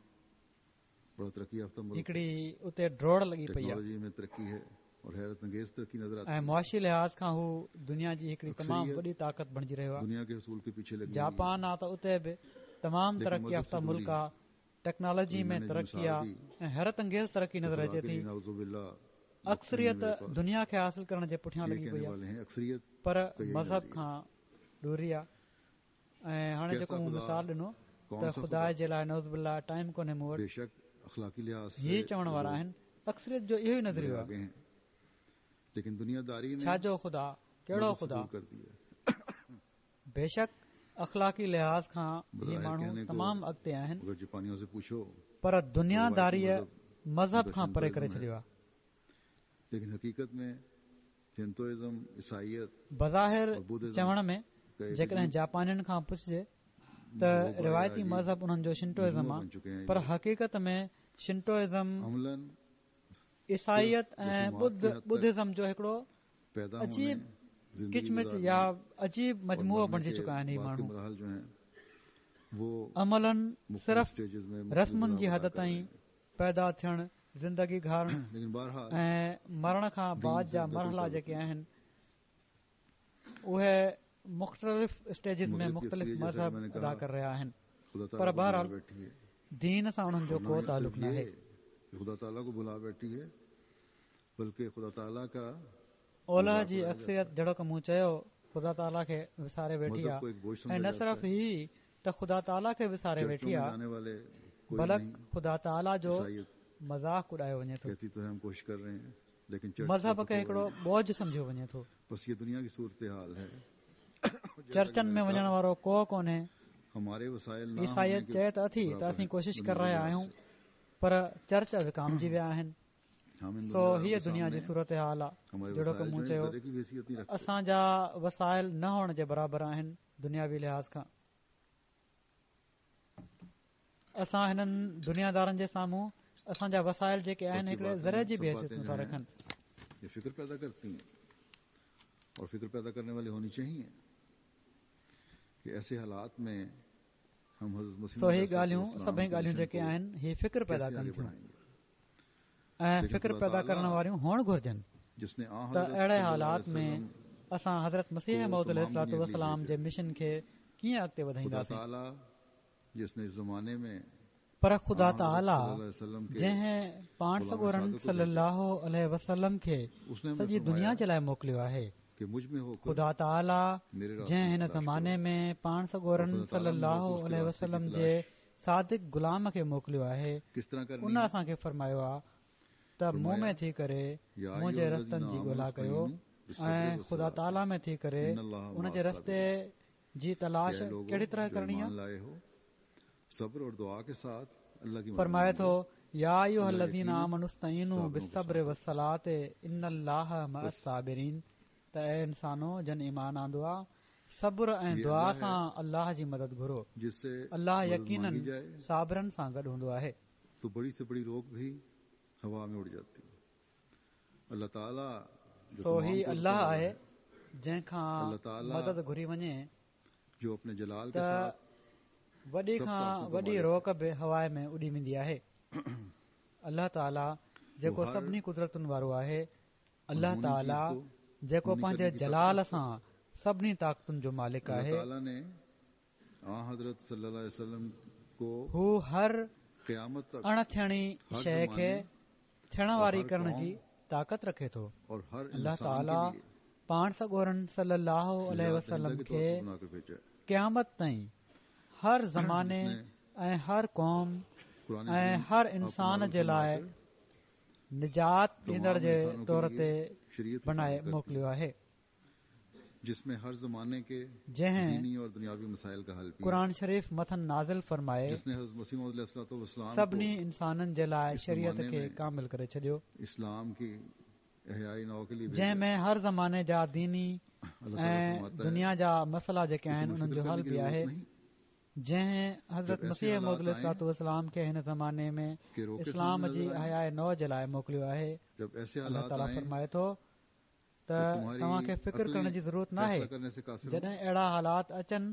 هڪڙي اتي ڊوڙ لڳي پئي آهي ۽ معاشي لحاظ کان هو دنيا جي هڪڙي تمام وڏي طاقت بڻجي رهيو آهي. جاپان آ ته اتي به تمام ترقي يافته ملڪ آهي، ٽيڪنالاجي ۾ ترقي آهي ۽ حيرت انگيز ترقي نظر اچي ٿي. اڪثريت دنيا کي حاصل ڪرڻ جي پٺيان لڳي پئي آهي پر مذهب کان ڏوري آهي. ۽ هاڻي جيڪو مون مثال ڏنو ته خدا جي لاءِ نعوذ بالله ٽائيم ڪونهي مون وٽ، هي چوڻ وارا آهن. اڪثريت جو اهو ئي نظريو آهي. ڇا جو خدا، ڪهڙو خدا؟ بيشڪ اخلاقي لحاظ کان هي ماڻهو تمام اڳتي آهن پر دنيا داريءَ مذهب کان پري ڪري ڇڏيو آهي. بظاهر چوڻ ۾ جيڪڏهن جاپانين کان پڇجي ته روايتي مذهب انهن جو شنٽوازم آهي، پر حقيقت ۾ شنٽوازم عيسائيت ۽ ٻڌ ٻڌزم جو هڪڙو عجيب ڪچمچ يا عجيب مجموعو بڻجي چڪا آهن. هي ماڻهو عملاً صرف رسمن جي حد تائين پيدا ٿيڻ، زندگي گهارڻ ۽ مرڻ کان بعد جا مرحلا جيڪي آهن اهي مختلف اسٽيجز ۾ مختلف مذهب ادا ڪري رهيا آهن، پر بهرحال دين سان انهن جو ڪو تعلق ناهي. اولهه جي اڪثريت جهڙوڪ مون چيو خدا تعاليٰ کي وساري ويٺي آهي، ۽ نه صرف هي ته خدا تعاليٰ کي وساري ويٺي آهي بلڪ خدا تعاليٰ جو مذاق اڏايو وڃي ٿو. مذهب کي هڪڙو بوجه سمجهيو وڃي ٿو. چرچن ۾ وڃڻ وارو ڪو ڪونهي. عيسائيت چئي ته اٿي ته اسين ڪوشش ڪري رهيا آهيون پر چرچ وڪامجي ويا آهن. سو هيءَ دنيا جي صورت حال آهي. جهڙوڪ مون چيو اسان جا وسائل نه هئڻ جي برابر آهن دنياوي لحاظ کان. اسان هنن دنيادارن جي سامهون اسان جا وسائل جيڪي آهن هڪڙي ذري جي به حيثيت نٿا رکن. فڪر پيدا ڪرتي ہیں اور فکر پيدا کرنے والے ہونی چاہیے کہ ایسے حالات میں ہم حضرت مسیح سو هي ڳالهيون سڀئي ڳالهيون جيڪي آهن هي فڪر پيدا ڪن ٿيون ۽ فڪر پيدا ڪرڻ واريون هئڻ گهرجن ته اهڙي حالات ۾ اسان حضرت مسيح موعود عليه الصلوة والسلام جي مشن کي ڪيئن اڳتي وڌائينداسين. پر خدا تعاليٰ جنهن پاڻ سڳورن صلي الله عليه وسلم کي سڄي دنيا جي لاءِ موڪليو آهي، خدا تعاليٰ جنهن هن زماني ۾ پاڻ سڳورن صلي الله عليه وسلم جي صادق غلام کي موڪليو آهي، ان اسان کي فرمايو آهي ته مون ۾ ٿي ڪري منهنجي رستن جي ڳولا ڪيو ۽ خدا تعاليٰ ۾ ٿي ڪري ان جي رستي جي تلاش ڪهڙي طرح ڪرڻي آهي. فرمائي ٿو يا ايها الذين آمنوا استعينوا بالصبر والصلاة ان الله مع الصابرين. ته اي انسانو جن ايمان آندو آ صبر ۽ دعا سان الله جي مدد گهرو، الله يقيناً صابرن سان گڏ هوندو آهي. تو بڙي سي بڙي روڪ ڀي هوا ۾ اڙ جاتي. الله تعالي سو هي الله آهي جنهن کان مدد گهري وڃي جو اپني جلال ڪي ساٿ وڏي کان وڏي روڪ به هوا ۾ اڏي ويندي آهي. الله تعاليٰ جيڪو سڀني قدرتن وارو آهي، الله تعاليٰ جيڪو پنهنجي جلال سان سڀني طاقتن جو مالڪ آهي، هو هر اڻ ٿيڻي شيءِ کي ٿيڻ واري ڪرڻ جي طاقت رکي ٿو. الله تعاليٰ پاڻ سڳورن صلي الله عليه وسلم کي قيامت تائين هر زماني ۽ هر قوم ۽ هر انسان جي لاءِ نجات ڏيندڙ جي طور تي بڻائي موڪليو آهي، جنهن قرآن شريف مٿن نازل فرمائي سڀني انسانن جي لاءِ شريعت کي ڪامل ڪري ڇڏيو، جنهن ۾ هر زماني جا ديني ۽ دنيا جا مسئلا جيڪي آهن انهن جو حل به آهي. جنهن حضرت مسيح موعود عليه الصلوة والسلام کي هن زماني ۾ اسلام جي احياءِ نو جي لاءِ موڪليو آهي. الله تعاليٰ فرمائي ٿو ته توهان کي فڪر ڪرڻ جي ضرورت ناهي. جڏهن اهڙا حالات اچن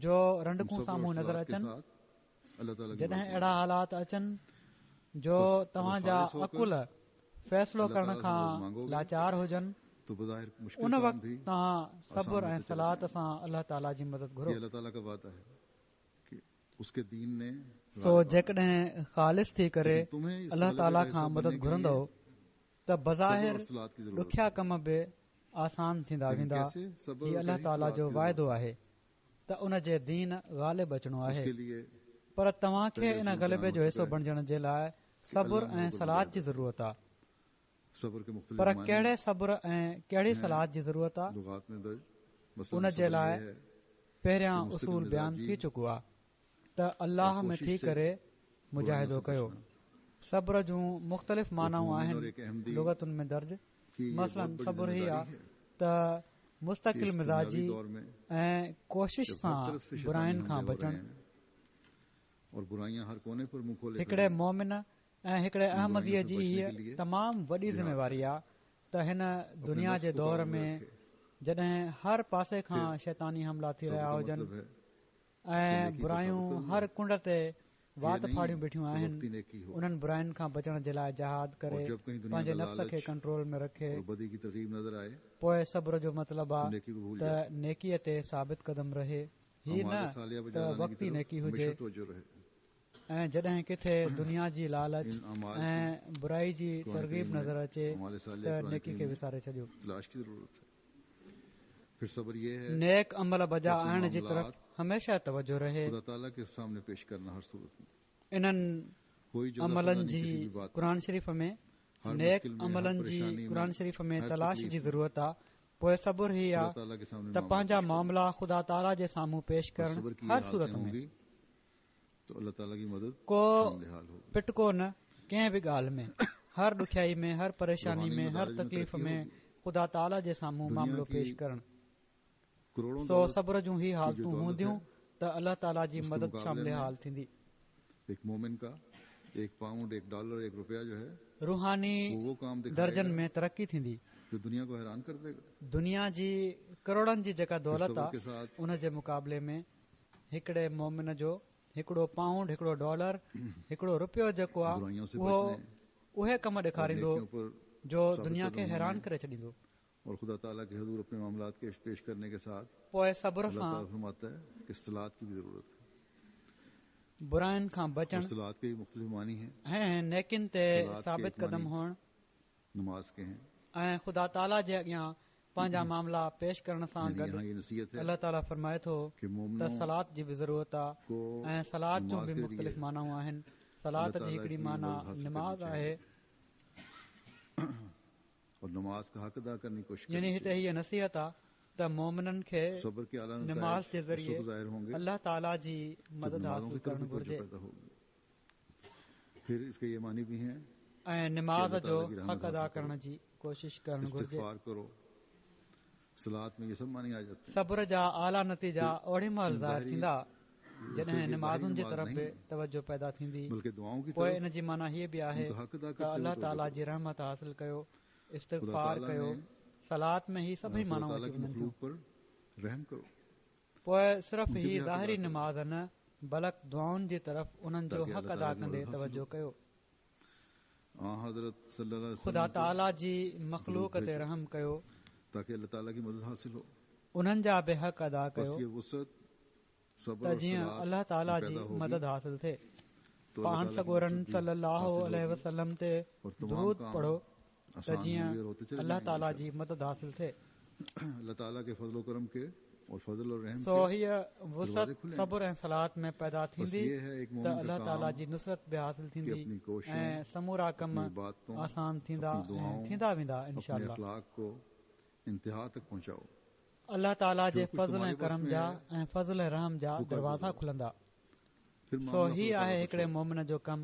جو رنڊڪون سامهون نظر اچن، جڏهن اهڙا حالات اچن جو توهان جا عقل فيصلو ڪرڻ کان لاچار هجن، ان وقت توهان صبر ۽ صلات سان الله تعاليٰ جي مدد گهرو. उसके दीन ने सो जेकॾहिं ख़ालिस थी करे अलाह ताला खां मदद घुरंदव त बज़ाहिर ॾुखिया कम बि आसान थींदा वेंदा। हीउ अलाह ताला जो वाइदो आहे त उन जे दीन ग़ालिब अचिणो आहे, पर तव्हांखे इन ग़लबे जो हिसो बणिजण जे लाइ सब्र ऐं सलात जी ज़रूरत आहे। पर कहिड़े सब्र ऐं कहिड़ी सलात जी ज़रूरत आहे, उन जे लाइ पहिरियां उसूल बयान थी चुको आहे त अल्लाह में थी करे मुजाहिदो कयो। सब्र जूं मुख़्तलिफ़ मानाऊं आहिनि लुगतुनि में दर्ज। मसलन सब्र ही आहे त मुस्तकिल मिज़ाजी ऐं कोशिश सां बुराइनि खां बचण। हिकिड़े मोमिन ऐं हिकिड़े अहमदीअ जी हीअ तमामु वॾी ज़िम्मेवारी आहे त हिन दुनिया जे दौर में जॾहिं हर पासे खां शैतानी हमला थी रहिया हुजनि ऐं बुरायूं हर कुंड ते वात फाड़ियूं बीठियूं आहिनि, उन्हनि बुराइनि खां बचण जे लाइ जहाद करे पंहिंजे नफ्स खे कंट्रोल में रखे। पोइ सब्र जो मतिलबु आहे त नेकीअ ते साबित कदम रहे, हीअ न त वक़्ती नेकी हुजे ऐं जॾहिं किथे दुनिया जी लालच ऐं बुराई जी तरग़ीब नज़र अचे त नेकी खे विसारे छॾियो। नेक अमल बजा आणण जी तरफ़ हमेशह तवजो रहे। इन्हनि अमलनि जी क़ुरान शरीफ़ में नेक अमलनि जी क़ुरान शरीफ़ में तलाश जी ज़रूरत आहे। पोइ सब्र ही आहे त पंहिंजा मामला ख़ुदा ताला जे साम्हूं पेश करण हर सूरत में, को पिटको न कंहिं बि ॻाल्हि में, हर ॾुखियाई में, हर परेशानी में, हर तकलीफ़ में ख़ुदा ताला जे साम्हूं मामिलो पेश करण। सो सब्र जूं ही हालतूं हूंदियूं त अलाह ताला जी मदद शामिल हाल थींदी। एक मोमिन का एक पाउंड, एक डॉलर, एक रुपया जो है रूहानी दर्जन में तरक्की थींदी जो दुनिया को हैरान कर देगा। दुनिया जी करोड़नि जी जेका दौलत आहे उन जे मुक़ाबले में हिकिड़े मोमिन जो हिकिड़ो पाउंड, हिकिड़ो डॉलर, हिकिड़ो रुपयो जेको आहे उहो उहे कम ॾेखारींदो जो दुनिया खे हैरान करे छॾींदो। और खुदा ताला के हुजूर अपने मामलात के पेश करने के साथ पोइ सब्र सां फरमाता है कि सलात की भी जरूरत है, बुराइनि खां बचण, सलात के मुख्तलिफ मानी हैं ऐं नेकिन ते साबित कदम हुअण, नमाज के हैं ऐं खुदा ताला जे अॻियां पंहिंजा मामला पेश करण सां गॾु अलाह ताला फरमाए थो त सलात जी बि ज़रूरत आहे ऐं सलात जूं बि मुख़्तलिफ़ मानाऊं आहिनि। सलात जी हिकिड़ी माना नमाज़ आहे, और नमाज का हक अदा करने की कोशिश। यानी हिते हीअ नसीहत आहे त मोमिननि खे नमाज़ जे ज़रिए अलाह ताला जी मदद हासिल करणु घुर्जे फिर इसके ये मानी भी हैं ऐं नमाज़ जो हक़ अदा करण जी कोशिश करणु घुर्जे। सलात में ये सब मानी आ जाते हैं। सब्र जा आला नतीजा ओॾी महिल ज़ाहिर थींदा जॾहिं नमाज़ुनि जी तरफ़ बि तवजो पैदा थींदी। पोइ इन जी माना हीअ बि आहे त अलाह ताला जी रहमत हासिल कयो, इस्तिग़फ़ार कयो। सलात में ही सभई मानाऊं अची वञनि थियूं। पोइ सिर्फ़ ही ज़ाहिरी नमाज़ न बल्कि दुआउनि जी तरफ़ उन्हनि जो हक़ अदा कंदे तवजो कयो। ख़ुदा ताला जी मख़लूक ते रहम कयो ताकि अल्लाह ताला की मदद हासिल हो, उन्हनि जा बि हक़ अदा कयो त जीअं अल्लाह ताला जी मदद हासिल थिए। पाण सڳورनि सल्लल्लाहु अलैहि वसल्लम ते दुरूद पढ़ो त जीअं अल्लाह ताला जी मदद हासिल थिए। अल्लाह ताला के फज़ल करम के और फज़ल और रहम सो हीअ वुसअत सब्र ऐं सलात में पैदा थींदी त अल्लाह ताला जी नुसरत बि हासिल थींदी ऐं समूरा कम आसान थींदा ऐं थींदा वेंदा इंशाअल्लाह। इंतहा तक पहुंचाओ। अल्लाह ताला जे फज़ल ऐं करम जा ऐं फज़ल ऐं रहम जा दरवाज़ा खुलंदा। सो ही आहे हिकिड़े मोमिन जो कम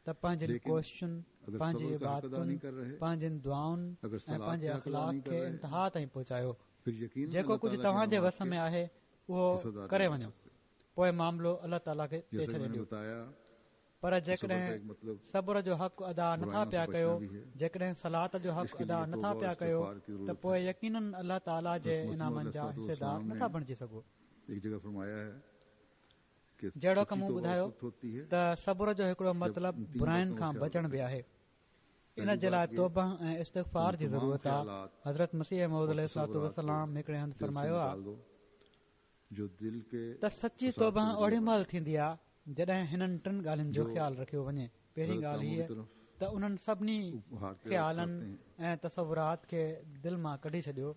त पंहिंजनि कोशिशुनि, पंहिंजी इबादतुनि, पंहिंजनि दुआउनि ऐं पंहिंजे अख़लाक़ खे इंतहा ताईं पहुचायो। जेको कुझु तव्हांजे वस में आहे उहो करे वञो, पोइ मामिलो अल्लाह ताला खे ते छॾे ॾियो। पर जेकॾहिं सब्र जो हक़ अदा नथा पिया कयो, जेकॾहिं सलात जो हक़ अदा नथा पिया कयो त पोइ यकीनन अल्लाह ताला जे इनामनि जा हिस्सेदार नथा बणिजी सघो। जहिड़ो कम मूं ॿुधायो त सब्र जो हिकिड़ो मतिलबु बुराइनि खां बचण बि आहे। इन जे लाइ तौबा ऐं इस्तिग़फ़ार जी ज़रूरत आहे। हज़रत मसीह मौऊद अलैहि वसल्लम हिकिड़े हंधि फरमायो आहे त सची तौबा ओॾी महिल थींदी आहे جڏهن هنن ٽن ڳالهين جو خيال رکيو وڃي. پهرين ڳالهه هيء ته انهن سڀني خيالن ۽ تصورات کي دل مان ڪڍي ڇڏيو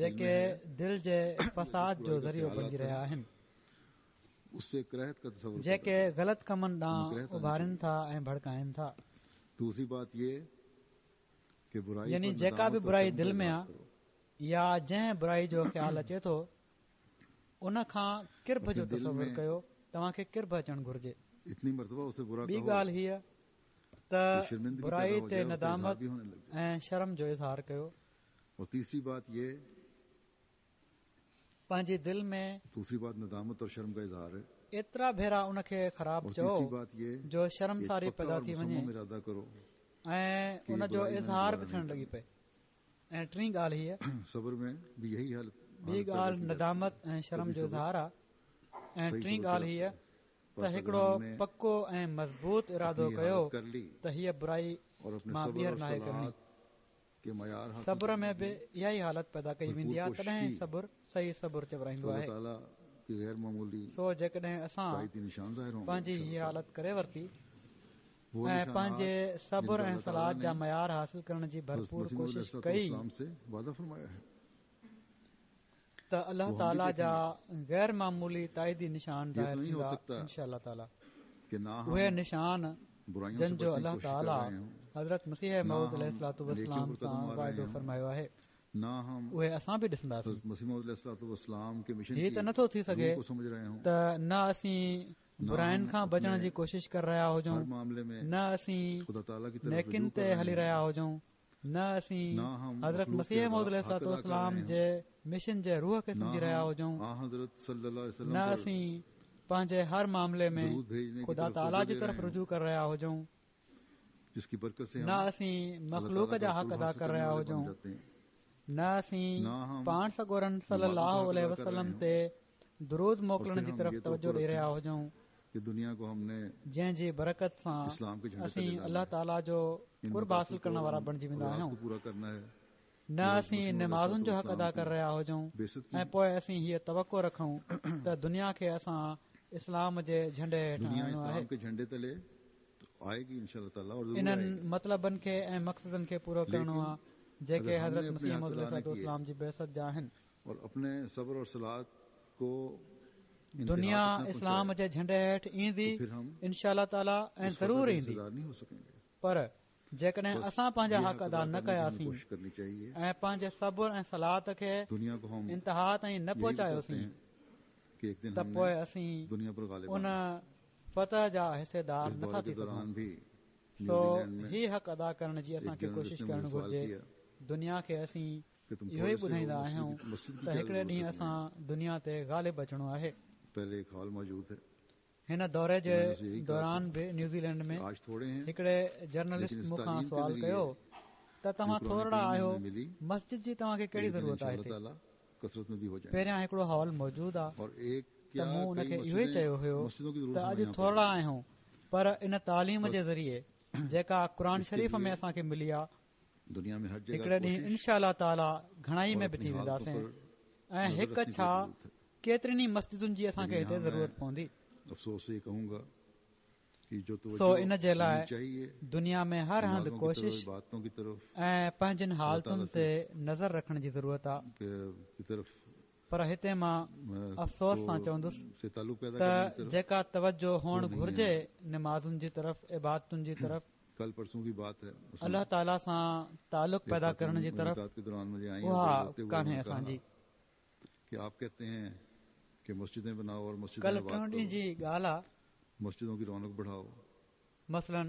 جيڪي دل جي فساد جو ذريعو بڻجي رهيا آهن، جيڪي غلط ڪمن ڏانهن اڀارين ٿا ۽ ڀڙڪائن ٿا. يعني جيڪا به برائي دل ۾ آ يا جنهن برائي جو خيال اچي ٿو ان کان ڪرب جو تصور ڪيو. توهان کي ڪرب اچڻ گهرجي. ٻي ڳالهه هيء ته برائي تي ندامت ۽ شرم جو اظهار ڪيو. پنهنجي دل ۾ ايترا ڀيرا ان کي خراب چئو جو شرمساري پيدا ٿي وڃي ۽ ان جو اظهار به ٿيڻ لڳي پئي. ۽ ٽين ڳالهه هيء، ٻي ڳالهه ندامت ۽ شرم جو اظهار آهي، ۽ ٽين ڳالهه هيء ته هڪڙو پڪو ۽ مضبوط ارادو ڪيو ته هيء برائي مان ٻيهر ناهي ڪرڻي. صبر ۾ به اها ئي حالت پيدا ڪئي ويندي آهي، تڏهن صبر صحيح صبر چورائيندو آهي. سو جيڪڏهن اسان پنهنجي هيء حالت ڪري ورتي ۽ پنهنجي صبر ۽ صلات جا معيار حاصل ڪرڻ جي ڀرپور ڪوشش ڪئي ته الله تعاليٰ جا غير معمولي تائيدي نشان ظاهر ٿيندا انشاء الله تعاليٰ. اهي نشان جن جو الله تعاليٰ حضرت مسيح موعود عليه الصلوة والسلام سان واعدو فرمايو آهي، اهي اسان به ڏسنداسين. هي ته نٿو ٿي سگهي ته نه اسين براين کان بچڻ جي ڪوشش ڪري رهيا هجون، نه اسين نيڪين تي هلي رهيا هجون، نه اسين حضرت مسيح موعود عليه الصلوة والسلام جي مشن جي روح کي سمجهي رهيا هجون، نه اسين پنهنجي هر معاملي ۾ خدا تعاليٰ جي طرف رجوع ڪري رهيا هجون، نه اسين مخلوق جا حق ادا ڪري رهيا هجون، نه اسين پاڻ سڳورن صلي الله عليه وسلم تي درود موڪلڻ جي طرف توجه ڏئي رهيا هجون، جنهن جي برڪت سان اسين الله تعاليٰ جو قرب حاصل ڪرڻ وارا بڻجي ويندا آهيون، نه اسين نمازن جو حق ادا ڪري رهيا هجون ۽ پوء اسين هيء توقع رکون ته دنيا کي اسان اسلام جي جهنڊي هيٺ آڻڻو آهي. انهن مطلبن کي ۽ مقصدن کي پورو ڪرڻو آهي جيڪي حضرت مسيح موعود عليه الصلوة والسلام جي بعثت جا آهن. دنيا اسلام جي جهنڊي هيٺ ايندي انشاء الله تعاليٰ ۽ ضرور ايندي، پر جيڪڏهن اسان پنهنجا حق ادا نه ڪياسين ۽ پنهنجي صبر ۽ صلات کي انتها تائين نه پهچايوسين ته پوء اسين ان فتح جا حصيدار نٿا ٿي سگهون. سو هي حق ادا ڪرڻ جي اسان کي ڪوشش ڪرڻ گهرجي. دنيا کي اسين اهو ئي ٻڌائيندا آهيون ته هڪڙي ڏينهن اسان دنيا تي غالب اچڻو آهي. هن دوري جي دوران به نيوزيلينڊ ۾ هڪڙي جرنلسٽ مون کان سوال ڪيو ته توهان ٿورڙا آهيو، مسجد جي توهان کي ڪهڙي ضرورت آهي؟ هتي پهريان هڪڙو هال موجود آهي. ته مون ان کي اهو ئي چيو هيو ته اڄ ٿورڙا آهيون، پر ان تعليم جي ذريعي جيڪا قرآن شريف ۾ اسان کي ملي آهي، هڪڙي ڏينهن انشاء الله تعاليٰ گهڻائي ۾ به ٿي وينداسين ۽ هڪ ڇا ڪيترين ئي مسجدن جي اسان کي هتي ضرورت پوندي. سو ان جي لاء دنيا ۾ هر هنڌ ڪوشش ۽ پنهنجين حالتن تي نظر رکڻ جي ضرورت آهي. پر هتي مان افسوس سان چوندس ته جيڪا توجه هئڻ گهرجي نمازن جي طرف، عبادتن جي طرف، الله تعاليٰ سان تعلق پيدا ڪرڻ جي طرف، اها ڪانهي اسان جي. ڪلهه ٽيون ڏينهن جي ڳالهه آ، مثلاً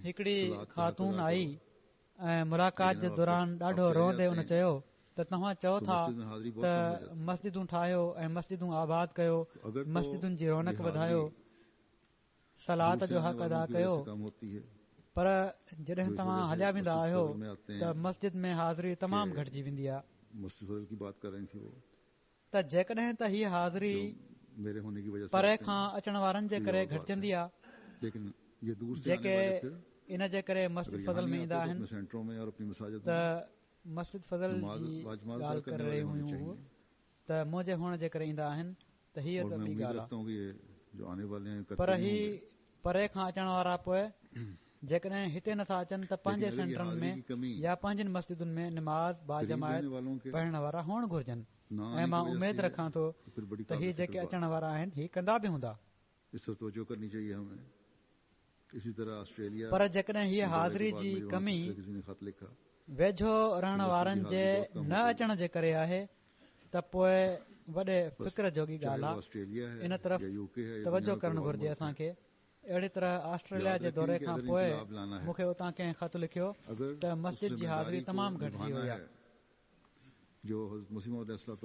هڪڙي خاتون آئي ۽ ملاقات جي دوران ڏاڍو روئندي ان چيو ته توهان چئو ٿا ته مسجدون ٺاهيو ۽ مسجدون آباد ڪيو، مسجدن جي رونق وڌايو، صلات جو حق ادا ڪيو، پر جڏهن توهان هليا ويندا آهيو ته مسجد ۾ حاضري تمام گهٽجي ويندي آهي. ته جيڪڏهن ته هيء حاضري پري کان اچڻ وارن جي ڪري گهٽجندي آهي، جيڪي ان جي ڪري مسجد فضل ۾ ايندا آهن ته مسجد فضل جي ڳالهه ڪري رهيون هيون هو ته منهنجي هئڻ جي ڪري ايندا آهن، ته هيء ته ٻي ڳالهه آهي. پر هي پري کان اچڻ وارا پوءِ جيڪڏهن هتي نٿا اچن ته پنهنجي سينٽرن ۾ يا پنهنجن مسجدن ۾ نماز باجماعت پڙهڻ وارا هئڻ گهرجن. ۽ مان اميد رکان ٿو ته هي جيڪي اچڻ وارا آهن هي ڪندا به هوندا. پر جيڪڏهن هيءَ حاضري جي ڪمي ويجهو رهڻ وارن جي نه اچڻ جي ڪري آهي ته پوءِ وڏي فڪر جوڳي ڳالهه آهي. ان طرف توجهه ڪرڻ گهرجي اسان کي. اهڙي طرح آسٽريليا جي دوري کان پوءِ مون کي اتان ڪنهن خط لکيو ته مسجد جي حاضري تمام گهٽجي وئي آهي.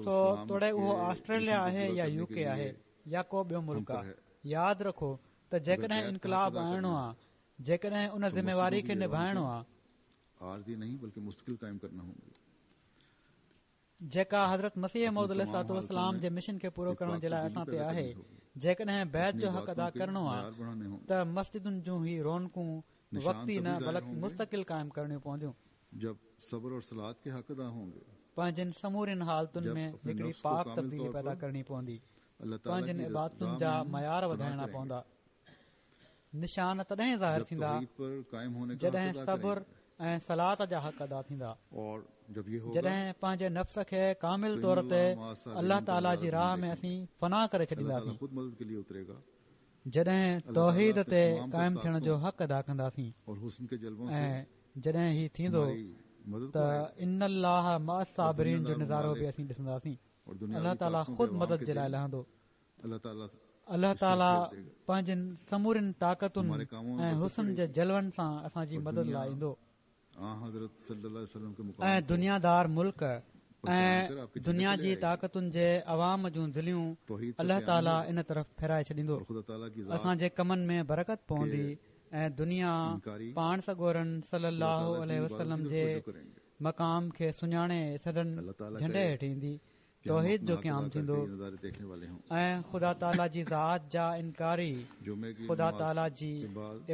سو توڙي اهو آسٽريليا آهي يا يو ڪي آهي يا ڪو ٻيو ملڪ آهي، ياد رکو ته جيڪڏهن انقلاب آڻڻو آهي، جيڪڏهن ان ذميواري کي نڀائڻو آهي جيڪا حضرت مسيح موعود عليه الصلوة والسلام جي مشن کي پورو ڪرڻ جي لاءِ اسان تي آهي، جيڪڏهن بيعت جو حق ادا ڪرڻو آهي ته مسجدن جون هي رونقون وقتي نه بلڪ مستقل قائم ڪرڻيون پونديون. پنهنجن سمورين حالتن ۾ هڪڙي پاڪ تبديلي پيدا ڪرڻي پوندي. پنهنجن عبادتن جا معيار وڌائڻا پوندا. نشان تڏهن ظاهر ٿيندا جڏهن صبر ۽ صلات جا حق ادا ٿيندا، جڏهن پنهنجي نفس کي ڪامل طور تي الله تعاليٰ جي راهه ۾ اسين فنا ڪري ڇڏينداسين، جڏهن توحيد تي قائم ٿيڻ جو حق ادا ڪنداسين. ۽ جڏهن هي ٿيندو ته ان الله مع الصابرين جو نظارو به اسين ڏسنداسين. الله تعاليٰ خود مدد جي لاءِ لهندو. الله تعاليٰ پنهنجن سمورين طاقتن ۽ حسن جي جلون سان اسان جي مدد لاءِ ايندو. ۽ دنيادار ملڪ ۽ دنيا جي طاقتن جي عوام جون دليون الله تعاليٰ ان طرف ڦيرائي ڇڏيندو. اسان جي ڪمن ۾ برڪت پوندي ۽ دنيا پاڻ سڳورن صلي الله عليه وسلم جي مقام کي سڃاڻي سندن جهنڊي هيٺ ايندي. توحيد جو قيام ٿيندو ۽ خدا تعاليٰ جي ذات جا انڪاري خدا تعاليٰ جي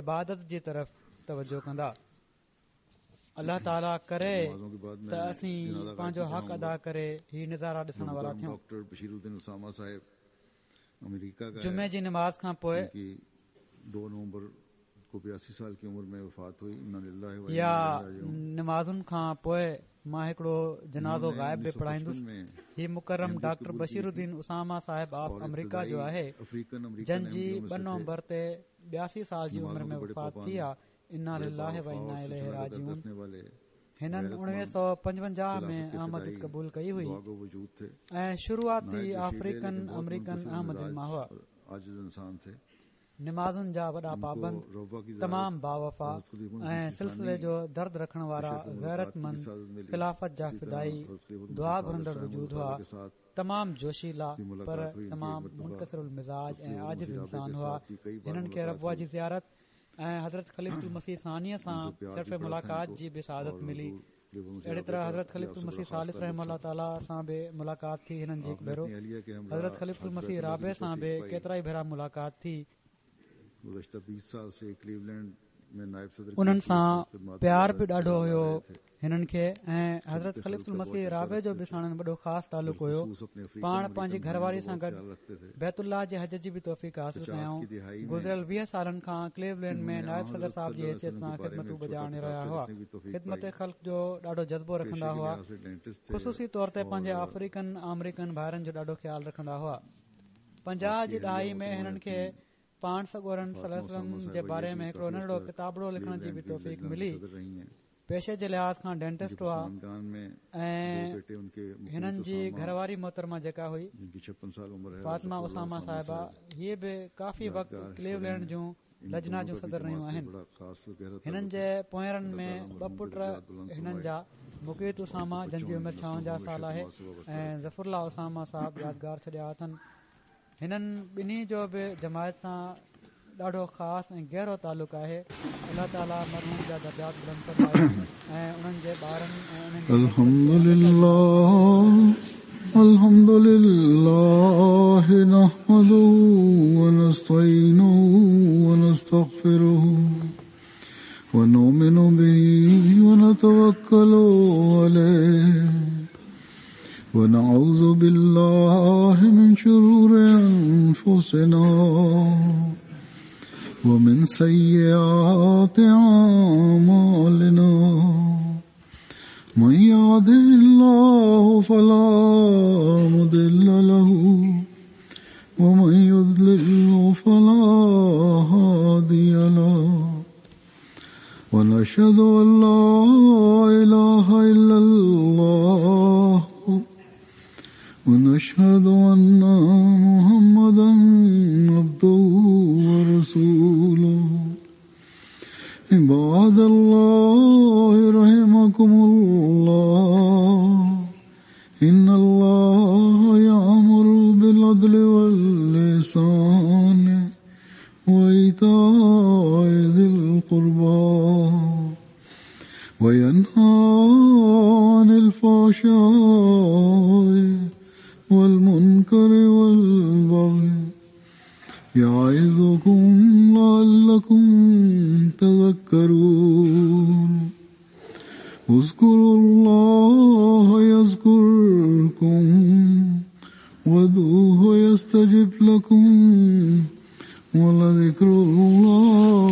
عبادت جي طرف توجه ڪندا. الله تعاليٰ ڪري ته اسين پنهنجو حق ادا ڪري هي نظارا ڏسڻ وارا ٿيون. جمعي جي نماز کان پوءِ يا نمازن کان پوءِ مان هڪڙو جنازو غائب به پڙهائيندس. هي مڪرم ڊاڪٽر بشير الدين اسامه صاحب آف آمريڪا جو آهي، جن جي ٻه نومبر تي ٻياسي سال جي عمر ۾ وفات ٿي آهي. انا لله و انا اليه راجعون. هنن اڻويهه سؤ پنجونجاهه ۾ احمديت قبول ڪئي هئي ۽ شروعاتي آفريڪن آمريڪن احمدين مان هئا. نمازن جا وڏا پابند، تمام باوفا ۽ سلسلي جو درد رکڻ وارا غيرتمند خلافت جا فدائي دعا گهرندڙ وجود هئا. تمام جوشيلا پر تمام منڪسر المزاج ۽ عاجز انسان هئا. هنن کي ربوه جي زيارت ۽ حضرت خليفة المسيح ثانيءَ سان شرف ملاقات جي به سعادت ملي. اهڙي طرح حضرت خليفة المسيح ثالث رحمه الله تعاليٰ سان به ملاقات ٿي هنن جي هڪ ڀيرو. حضرت خليفة المسيح رابع سان به ڪيترا ئي ڀيرا ملاقات ٿي. انهن سان پيار به ڏاڍو هيو هنن کي ۽ حضرت خليفة المسيح رابع جو به ساڻن وڏو خاص تعلق هيو. پاڻ پنهنجي گهر واري سان گڏ بيت الله جي حج جي به توفيق حاصل ڪيائون. گذريل ويهه سالن کان ڪليولينڊ ۾ نائب صدر صاحب جي حيثيت سان خدمتون بجا آڻي رهيا هئا. خدمت خلق جو ڏاڍو جذبو رکندا هئا. خصوصي طور تي پنهنجي آفريڪن آمريڪن ڀائرن جو ڏاڍو خيال رکندا هئا. پنجاهه جي ڏهائي ۾ هنن کي پاڻ سڳورن صلي الله عليه وسلم جي باري ۾ هڪڙو ننڍڙو ڪتابڙو لکڻ جي به توفيق ملي. پيشي جي لحاظ کان ڊينٽسٽ هئا ۽ هنن جي گهر واري محترمه جيڪا هئي فاطمه اسامه صاحبه، هيءَ به ڪافي وقت ڪليولينڊ جون لجنا جون صدر رهيون آهن. هنن جي پوئرن ۾ ٻه پٽ هنن جا، مقيت اسامه جن جي عمر ڇاونجاهه سال آهي ۽ ظفر الله اسامه صاحب يادگار ڇڏيا اٿن. هنن ٻنهي جو به جماعت سان ڏاڍو خاص ۽ گهرو تعلق آهي. الله تعاليٰ مرحوم جا درجات بلند فرمائي ۽ انهن جي ٻارن ۽ انهن جي الحمد لله الحمد لله نحمده ونستعينه ونستغفره ونؤمن به ونتوكل عليه ونعوذ بالله من شرور أنفسنا ومن سيئات أعمالنا من يهده الله فلا مضل له ومن يضلل فلا هادي له ونشهد أن لا إله إلا الله ونشهد أن محمدا عبده ورسوله عباد الله رحمكم الله إن الله يأمر بالعدل والإحسان وإيتاء ذي القربى وينهى عن الفحشاء والمنكر والبغي يعظكم لعلكم تذكرون اذكروا الله يذكركم وادعوه يستجب لكم ولذكر الله